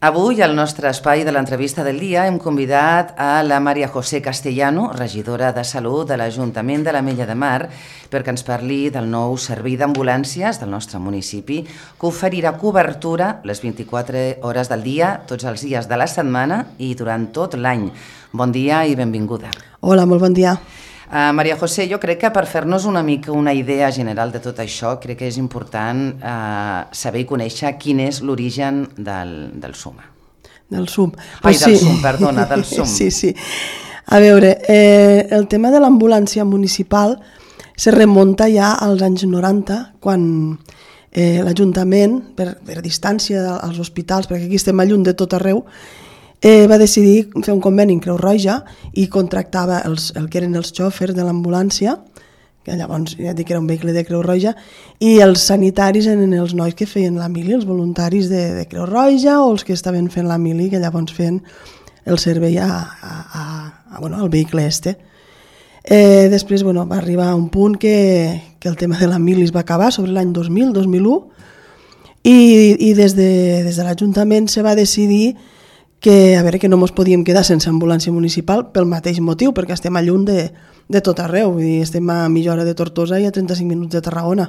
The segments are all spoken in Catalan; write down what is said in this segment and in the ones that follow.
Avui, al nostre espai de l'entrevista del dia, hem convidat a la Maria José Castellano, regidora de Salut de l'Ajuntament de l'Ametlla de Mar, perquè ens parli del nou servei d'ambulàncies del nostre municipi, que oferirà cobertura les 24 hores del dia, tots els dies de la setmana i durant tot l'any. Bon dia i benvinguda. Hola, molt bon dia. Maria José, jo crec que per fer-nos una mica una idea general de tot això, crec que és important saber i conèixer quin és l'origen del SUM. Del SUM. Ai, del SUM, perdona, del SUM. Sí. A veure, el tema de l'ambulància municipal se remunta ja als anys 90, quan l'Ajuntament, per distància als hospitals, perquè aquí estem a lluny de tot arreu, va decidir fer un conveni amb Creu Roja i contractava el que eren els xòfers de l'ambulància, que llavors ja dic que era un vehicle de Creu Roja, i els sanitaris eren els nois que feien la mili, els voluntaris de Creu Roja o els que estaven fent la mili, que llavors feien el servei al vehicle este. Després va arribar a un punt que el tema de la mili es va acabar sobre l'any 2000-2001 i des de l'Ajuntament se va decidir que no ens podíem quedar sense ambulància municipal pel mateix motiu, perquè estem a lluny de tot arreu, vull dir, estem a mitja hora de Tortosa i a 35 minuts de Tarragona.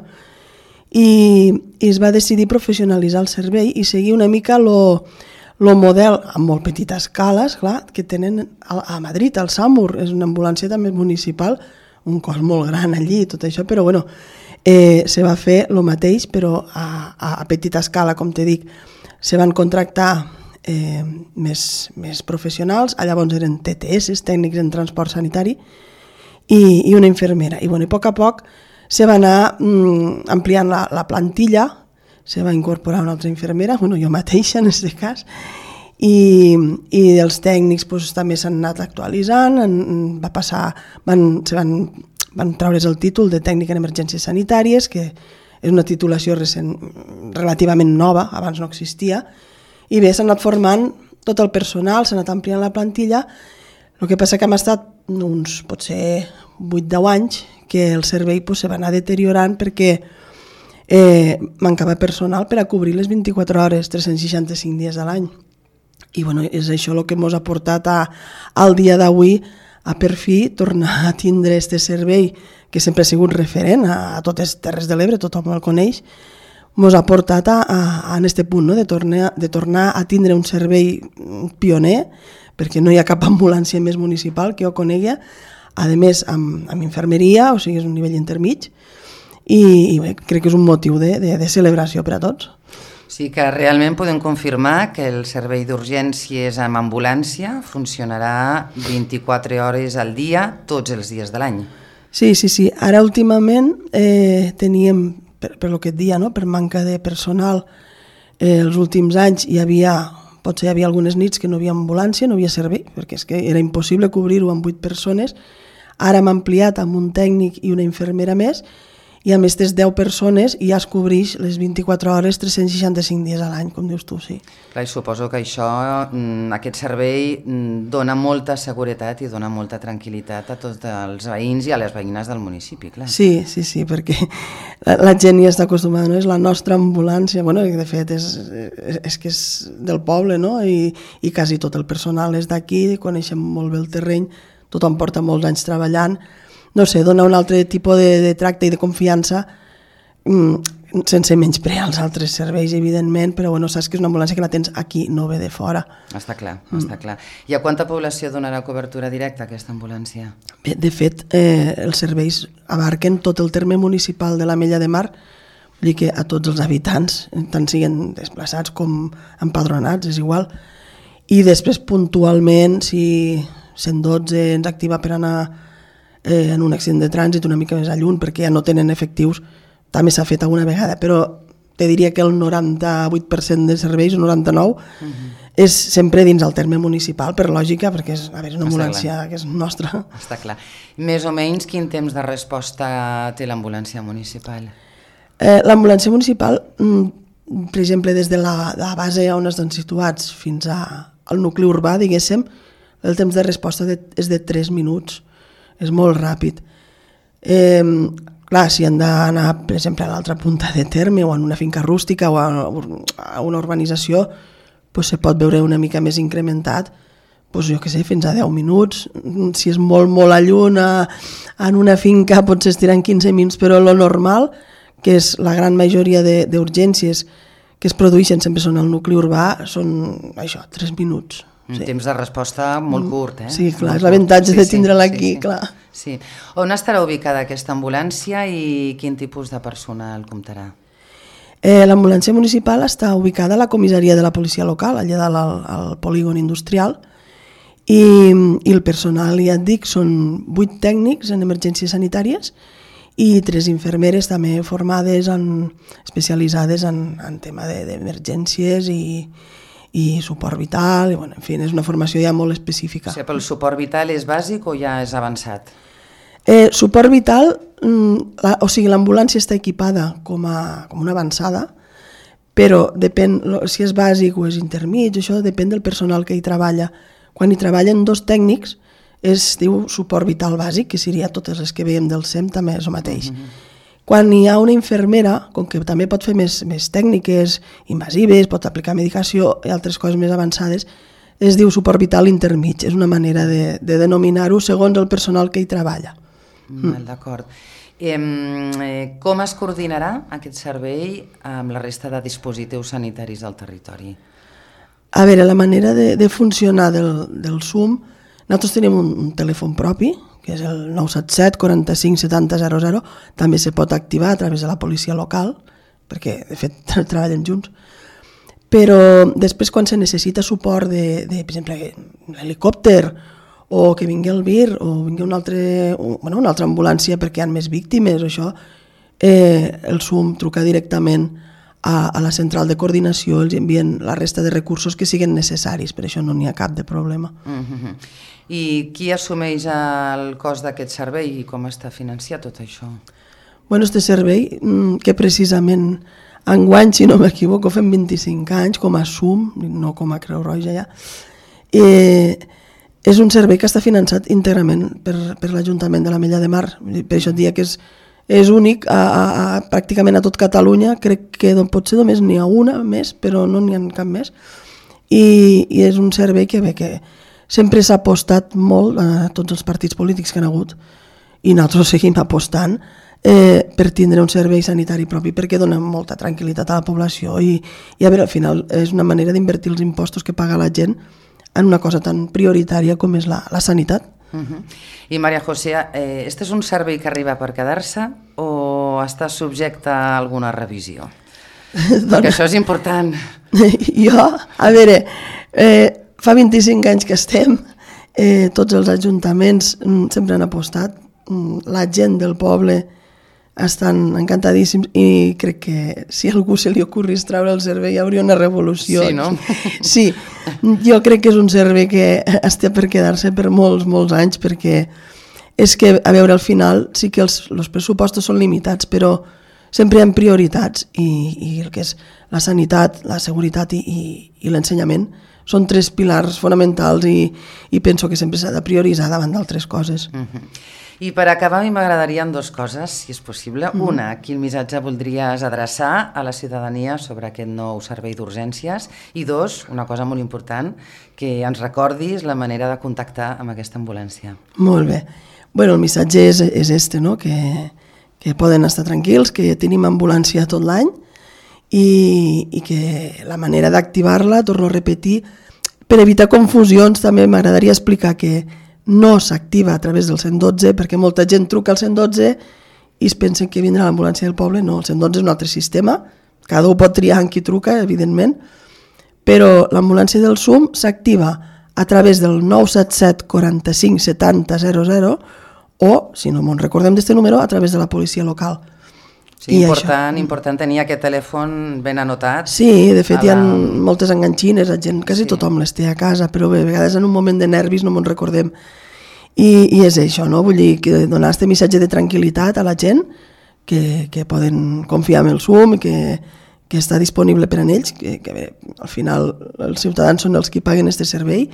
I es va decidir professionalitzar el servei i seguir una mica el model a molt petita escala, esclar, que tenen a Madrid, al SAMUR, és una ambulància també municipal, un cos molt gran allí i tot això, però se va fer el mateix, però a petita escala, com te dic, se van contractar més professionals, llavors eren TTS, tècnics en transport sanitari, i una infermera. I a poc a poc se va anar ampliant la plantilla, se va incorporar una altra infermera, jo mateixa en aquest cas, i els tècnics també s'han anat actualitzant, van treure's el títol de tècnic en emergències sanitàries, que és una titulació relativament nova, abans no existia, i bé, s'ha anat formant tot el personal, s'ha anat ampliant la plantilla. El que passa que hem estat uns, potser 8-10 anys, que el servei se va anar deteriorant perquè mancava personal per a cobrir les 24 hores, 365 dies a l'any. I és això el que ens ha portat al dia d'avui a per fi tornar a tindre aquest servei, que sempre ha sigut referent a totes les Terres de l'Ebre, tothom el coneix, ens ha portat a aquest punt, de tornar a tindre un servei pioner, perquè no hi ha cap ambulància més municipal que jo conegui, a més amb infermeria, o sigui, és un nivell intermig, i crec que és un motiu de celebració per a tots. Sí que realment podem confirmar que el servei d'urgències amb ambulància funcionarà 24 hores al dia, tots els dies de l'any. Sí. Ara últimament teníem, per el que et dia, per manca de personal, els últims anys potser hi havia algunes nits que no hi havia ambulància, no hi havia servei, perquè és que era impossible cobrir-ho amb 8 persones. Ara hem ampliat amb un tècnic i una infermera més, i amb aquestes 10 persones ja es cobreix les 24 hores, 365 dies a l'any, com dius tu, sí. Clar, i suposo que aquest servei dona molta seguretat i dona molta tranquil·litat a tots els veïns i a les veïnes del municipi, clar. Sí, perquè la gent ja està acostumada, no? És la nostra ambulància, de fet és que és del poble, no? I quasi tot el personal és d'aquí, coneixem molt bé el terreny, tothom porta molts anys treballant. No sé, dona un altre tipus de tracte i de confiança sense menysprear els altres serveis, evidentment, però saps que és una ambulància que la tens aquí, no ve de fora. Està clar. I a quanta població donarà cobertura directa aquesta ambulància? Bé, de fet, els serveis abarquen tot el terme municipal de l'Ametlla de Mar, vull dir que a tots els habitants, tant siguin desplaçats com empadronats, és igual. I després, puntualment, si 112 ens activa per anar en un accident de trànsit una mica més a lluny perquè ja no tenen efectius, també s'ha fet alguna vegada, però te diria que el 98% de serveis, el 99%, és sempre dins el terme municipal, per lògica, perquè és una ambulància que és nostra. Està clar. Més o menys quin temps de resposta té l'ambulància municipal? L'ambulància municipal, per exemple, des de la base on estan situats fins al nucli urbà, diguéssim, el temps de resposta és de 3 minuts. És molt ràpid. Clar, si han d'anar, per exemple, a l'altra punta de terme o en una finca rústica o a una urbanització, se pot veure una mica més incrementat, jo què sé, fins a 10 minuts. Si és molt a lluny, en una finca potser estiran 15 minuts, però lo normal, que és la gran majoria d'urgències que es produeixen sempre són al nucli urbà, són això, 3 minuts. Un temps de resposta molt curt, Sí, clar, és l'avantatge de tindre-la aquí, clar. Sí. On estarà ubicada aquesta ambulància i quin tipus de personal comptarà? L'ambulància municipal està ubicada a la comissaria de la policia local, allà dalt al polígon industrial, i el personal, ja et dic, són 8 tècnics en emergències sanitàries i 3 infermeres també formades, especialitzades en tema d'emergències i suport vital, en fi, és una formació ja molt específica. O sigui, el suport vital és bàsic o ja és avançat? Suport vital, o sigui, l'ambulància està equipada com una avançada, però depèn, si és bàsic o és intermig, això depèn del personal que hi treballa. Quan hi treballen 2 tècnics, es diu suport vital bàsic, que seria totes les que veiem del SEM, també és el mateix. Quan hi ha una infermera, com que també pot fer més tècniques invasives, pot aplicar medicació i altres coses més avançades, es diu suport vital intermig. És una manera de denominar-ho segons el personal que hi treballa. D'acord. Com es coordinarà aquest servei amb la resta de dispositius sanitaris del territori? A veure, la manera de funcionar del SUM, nosaltres tenim un telèfon propi, que és el 977 45 70 00, també se pot activar a través de la policia local, perquè de fet treballen junts, però després quan se necessita suport de per exemple, l'helicòpter, o que vingui el VIR, o vingui una altra ambulància perquè hi ha més víctimes, això, el SUM truca directament a la central de coordinació, els envien la resta de recursos que siguin necessaris, per això no n'hi ha cap de problema. I qui assumeix el cost d'aquest servei i com està financiat tot això? Bueno, este servei, que precisament enguany, si no m'equivoco, fem 25 anys com a SUM, no com a Creu Roja ja, és un servei que està finançat íntegrament per l'Ajuntament de l'Ametlla de Mar. Per això et diria que és únic pràcticament a tot Catalunya, crec que potser només n'hi ha una més, però no n'hi ha cap més. I és un servei que sempre s'ha apostat molt a tots els partits polítics que han hagut, i nosaltres seguim apostant per tindre un servei sanitari propi, perquè dona molta tranquil·litat a la població i a veure, al final és una manera d'invertir els impostos que paga la gent en una cosa tan prioritària com és la sanitat. I María José, este és un servei que arriba per quedar-se o està subjecte a alguna revisió? Perquè això és important. Jo, a veure, fa 25 anys que estem, tots els ajuntaments sempre han apostat, la gent del poble estan encantadíssims i crec que si a algú se li ocorrís treure el servei hi hauria una revolució. Sí, no? Sí, jo crec que és un servei que està per quedar-se per molts anys, perquè és que, a veure, al final sí que els pressupostos són limitats, però sempre hi ha prioritats i el que és la sanitat, la seguretat i l'ensenyament són 3 pilars fonamentals i penso que sempre s'ha de prioritzar davant d'altres coses. I per acabar, a mi m'agradarien 2 coses, si és possible. Una, quin missatge voldries adreçar a la ciutadania sobre aquest nou servei d'urgències? I 2, una cosa molt important, que ens recordis la manera de contactar amb aquesta ambulància. Molt bé. Bueno, el missatge és este, no? Que poden estar tranquils, que tenim ambulància tot l'any i que la manera d'activar-la, torno a repetir, per evitar confusions també m'agradaria explicar que no s'activa a través del 112, perquè molta gent truca al 112 i es pensen que vindrà l'ambulància del poble. No, el 112 és un altre sistema, cada un pot triar en qui truca, evidentment, però l'ambulància del SUM s'activa a través del 977 45 70 00 o, si no me'n recordem d'este número, a través de la policia local. Sí, important tenir aquest telèfon ben anotat. Sí, de fet hi ha moltes enganxines, la gent, quasi tothom les té a casa, però bé, a vegades en un moment de nervis no me'n recordem. I és això, no? Vull dir, que donar aquest missatge de tranquil·litat a la gent, que poden confiar en el SUM, que està disponible per a ells, que al final els ciutadans són els que paguen aquest servei,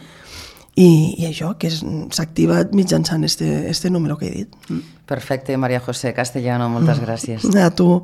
i això, que s'activa mitjançant este número que he dit. Perfecte, María José Castellano, moltes gràcies. A tu.